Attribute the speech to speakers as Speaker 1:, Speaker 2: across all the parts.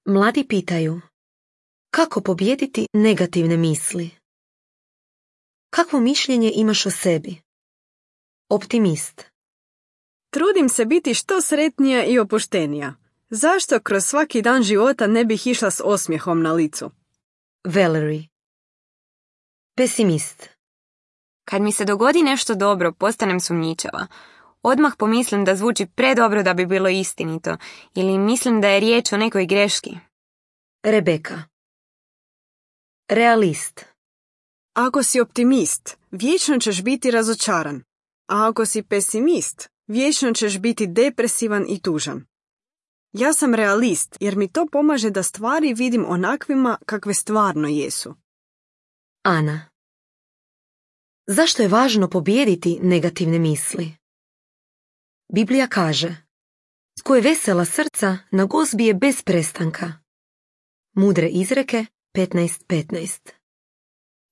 Speaker 1: Mladi pitaju, kako pobijediti negativne misli? Kakvo mišljenje imaš o sebi? Optimist.
Speaker 2: Trudim se biti što sretnija i opuštenija. Zašto kroz svaki dan života ne bih išla s osmijehom na licu?
Speaker 1: Valerie. Pesimist.
Speaker 3: Kad mi se dogodi nešto dobro, postanem sumnjičava. Odmah pomislim da zvuči predobro da bi bilo istinito, ili mislim da je riječ o nekoj greški.
Speaker 1: Rebeka. Realist.
Speaker 2: Ako si optimist, vječno ćeš biti razočaran. A ako si pesimist, vječno ćeš biti depresivan i tužan. Ja sam realist jer mi to pomaže da stvari vidim onakvima kakve stvarno jesu.
Speaker 1: Ana. Zašto je važno pobijediti negativne misli? Biblija kaže, tko je vesela srca, na gozbi je bez prestanka. Mudre izreke 15:15.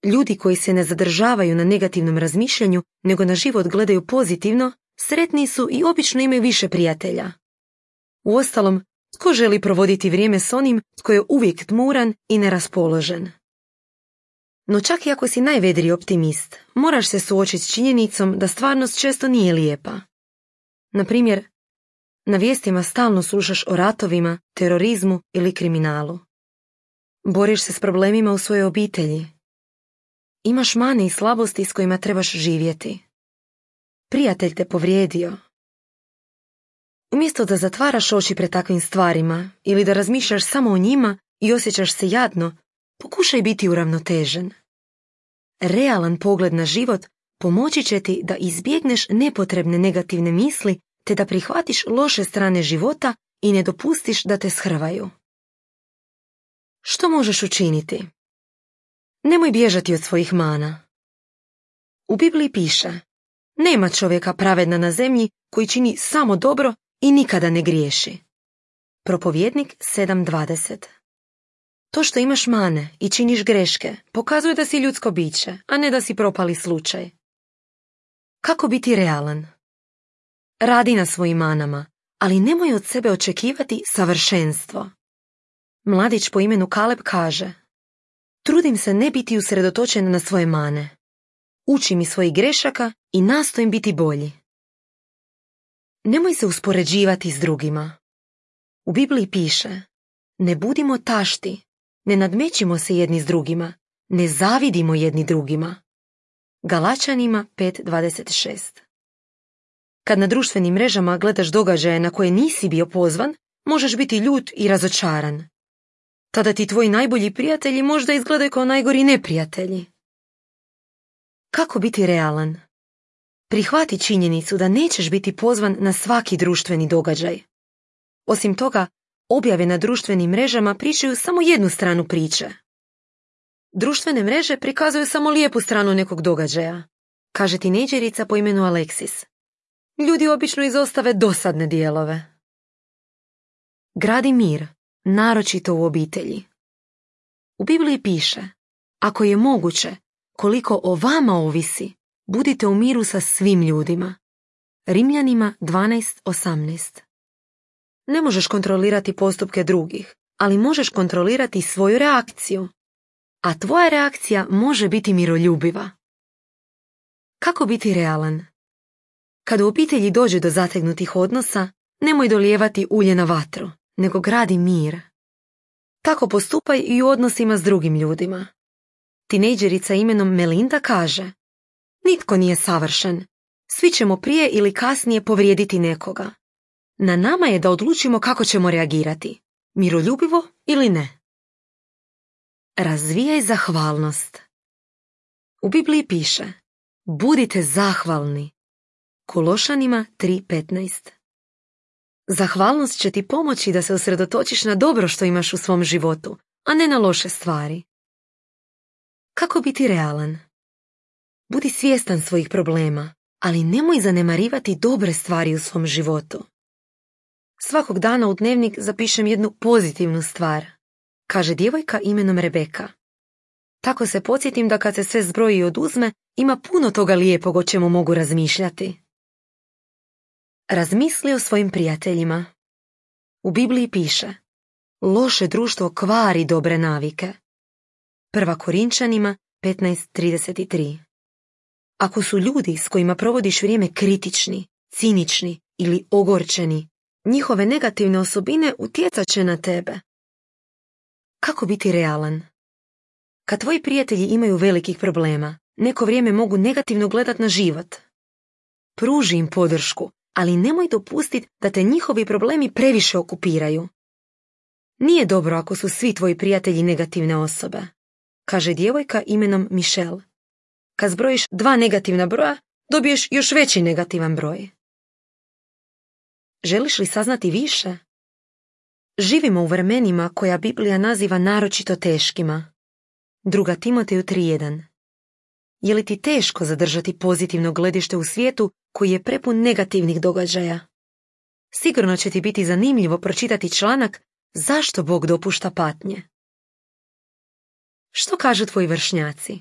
Speaker 1: Ljudi koji se ne zadržavaju na negativnom razmišljanju, nego na život gledaju pozitivno, sretni su i obično imaju više prijatelja. Uostalom, tko želi provoditi vrijeme s onim tko je uvijek tmuran i neraspoložen? No čak i ako si najvedriji optimist, moraš se suočiti s činjenicom da stvarnost često nije lijepa. Na primjer, na vijestima stalno slušaš o ratovima, terorizmu ili kriminalu. Boriš se s problemima u svojoj obitelji. Imaš mane i slabosti s kojima trebaš živjeti. Prijatelj te povrijedio. Umjesto da zatvaraš oči pred takvim stvarima ili da razmišljaš samo o njima i osjećaš se jadno, pokušaj biti uravnotežen. Realan pogled na život pomoći će ti da izbjegneš nepotrebne negativne misli te da prihvatiš loše strane života i ne dopustiš da te shrvaju. Što možeš učiniti? Nemoj bježati od svojih mana. U Bibliji piše, nema čovjeka pravedna na zemlji koji čini samo dobro i nikada ne griješi. Propovjednik 7:20. To što imaš mane i činiš greške pokazuje da si ljudsko biće, a ne da si propali slučaj. Kako biti realan? Radi na svojim manama, ali nemoj od sebe očekivati savršenstvo. Mladić po imenu Kaleb kaže, trudim se ne biti usredotočen na svoje mane. Učim iz svojih grešaka i nastojim biti bolji. Nemoj se uspoređivati s drugima. U Bibliji piše, ne budimo tašti, ne nadmećimo se jedni s drugima, ne zavidimo jedni drugima. Galačanima 5:26. Kad na društvenim mrežama gledaš događaje na koje nisi bio pozvan, možeš biti ljut i razočaran. Tada ti tvoji najbolji prijatelji možda izgledaju kao najgori neprijatelji. Kako biti realan? Prihvati činjenicu da nećeš biti pozvan na svaki društveni događaj. Osim toga, objave na društvenim mrežama pričaju samo jednu stranu priče. Društvene mreže prikazuju samo lijepu stranu nekog događaja, kaže tinejdžerica po imenu Alexis. Ljudi obično izostave dosadne dijelove. Gradi mir, naročito u obitelji. U Bibliji piše, ako je moguće, koliko o vama ovisi, budite u miru sa svim ljudima. Rimljanima 12:18. Ne možeš kontrolirati postupke drugih, ali možeš kontrolirati svoju reakciju. A tvoja reakcija može biti miroljubiva. Kako biti realan? Kad u obitelji dođe do zategnutih odnosa, nemoj dolijevati ulje na vatru, nego gradi mir. Tako postupaj i u odnosima s drugim ljudima. Tinejdžerica imenom Melinda kaže, nitko nije savršen. Svi ćemo prije ili kasnije povrijediti nekoga. Na nama je da odlučimo kako ćemo reagirati, miroljubivo ili ne. Razvijaj zahvalnost. U Bibliji piše, budite zahvalni. Kološanima 3:15. Zahvalnost će ti pomoći da se usredotočiš na dobro što imaš u svom životu, a ne na loše stvari. Kako biti realan? Budi svjestan svojih problema, ali nemoj zanemarivati dobre stvari u svom životu. Svakog dana u dnevnik zapišem jednu pozitivnu stvar, kaže djevojka imenom Rebeka. Tako se podsjetim da kad se sve zbroji i oduzme, ima puno toga lijepog o čemu mogu razmišljati. Razmisli o svojim prijateljima. U Bibliji piše, Loše društvo kvari dobre navike. 1. Korinčanima 15:33. Ako su ljudi s kojima provodiš vrijeme kritični, cinični ili ogorčeni, njihove negativne osobine utjecat će na tebe. Kako biti realan? Kad tvoji prijatelji imaju velikih problema, neko vrijeme mogu negativno gledati na život. Pruži im podršku, ali nemoj dopustiti da te njihovi problemi previše okupiraju. Nije dobro ako su svi tvoji prijatelji negativne osobe, kaže djevojka imenom Michelle. Kad zbrojiš 2 negativna broja, dobiješ još veći negativan broj. Želiš li saznati više? Živimo u vremenima koja Biblija naziva naročito teškima. 2. Timoteju 3:1. Je li ti teško zadržati pozitivno gledište u svijetu koji je prepun negativnih događaja? Sigurno će ti biti zanimljivo pročitati članak Zašto Bog dopušta patnje. Što kažu tvoji vršnjaci?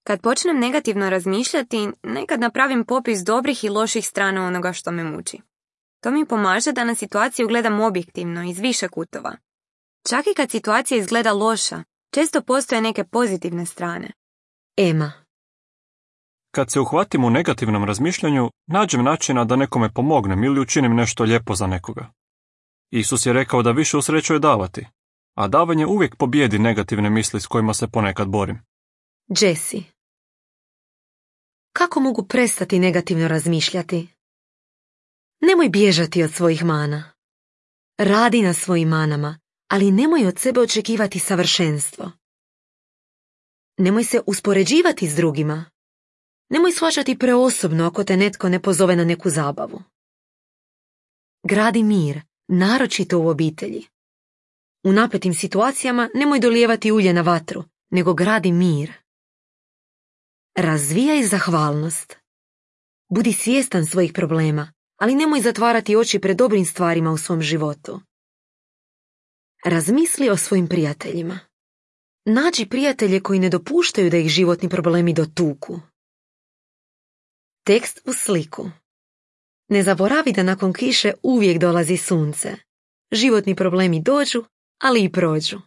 Speaker 3: Kad počnem negativno razmišljati, nekad napravim popis dobrih i loših strana onoga što me muči. To mi pomaže da na situaciju gledam objektivno, iz više kutova. Čak i kad situacija izgleda loša, često postoje neke pozitivne strane.
Speaker 1: Ema.
Speaker 4: Kad se uhvatim u negativnom razmišljanju, nađem načina da nekome pomognem ili učinim nešto lijepo za nekoga. Isus je rekao da više usrećuje davati, a davanje uvijek pobjedi negativne misli s kojima se ponekad borim.
Speaker 1: Jesse. Kako mogu prestati negativno razmišljati? Nemoj bježati od svojih mana. Radi na svojim manama, ali nemoj od sebe očekivati savršenstvo. Nemoj se uspoređivati s drugima. Nemoj shvaćati preosobno ako te netko ne pozove na neku zabavu. Gradi mir, naročito u obitelji. U napetim situacijama nemoj dolijevati ulje na vatru, nego gradi mir. Razvijaj zahvalnost. Budi svjestan svojih problema, ali nemoj zatvarati oči pred dobrim stvarima u svom životu. Razmisli o svojim prijateljima. Nađi prijatelje koji ne dopuštaju da ih životni problemi dotuku. Tekst u sliku. Ne zaboravi da nakon kiše uvijek dolazi sunce. Životni problemi dođu, ali i prođu.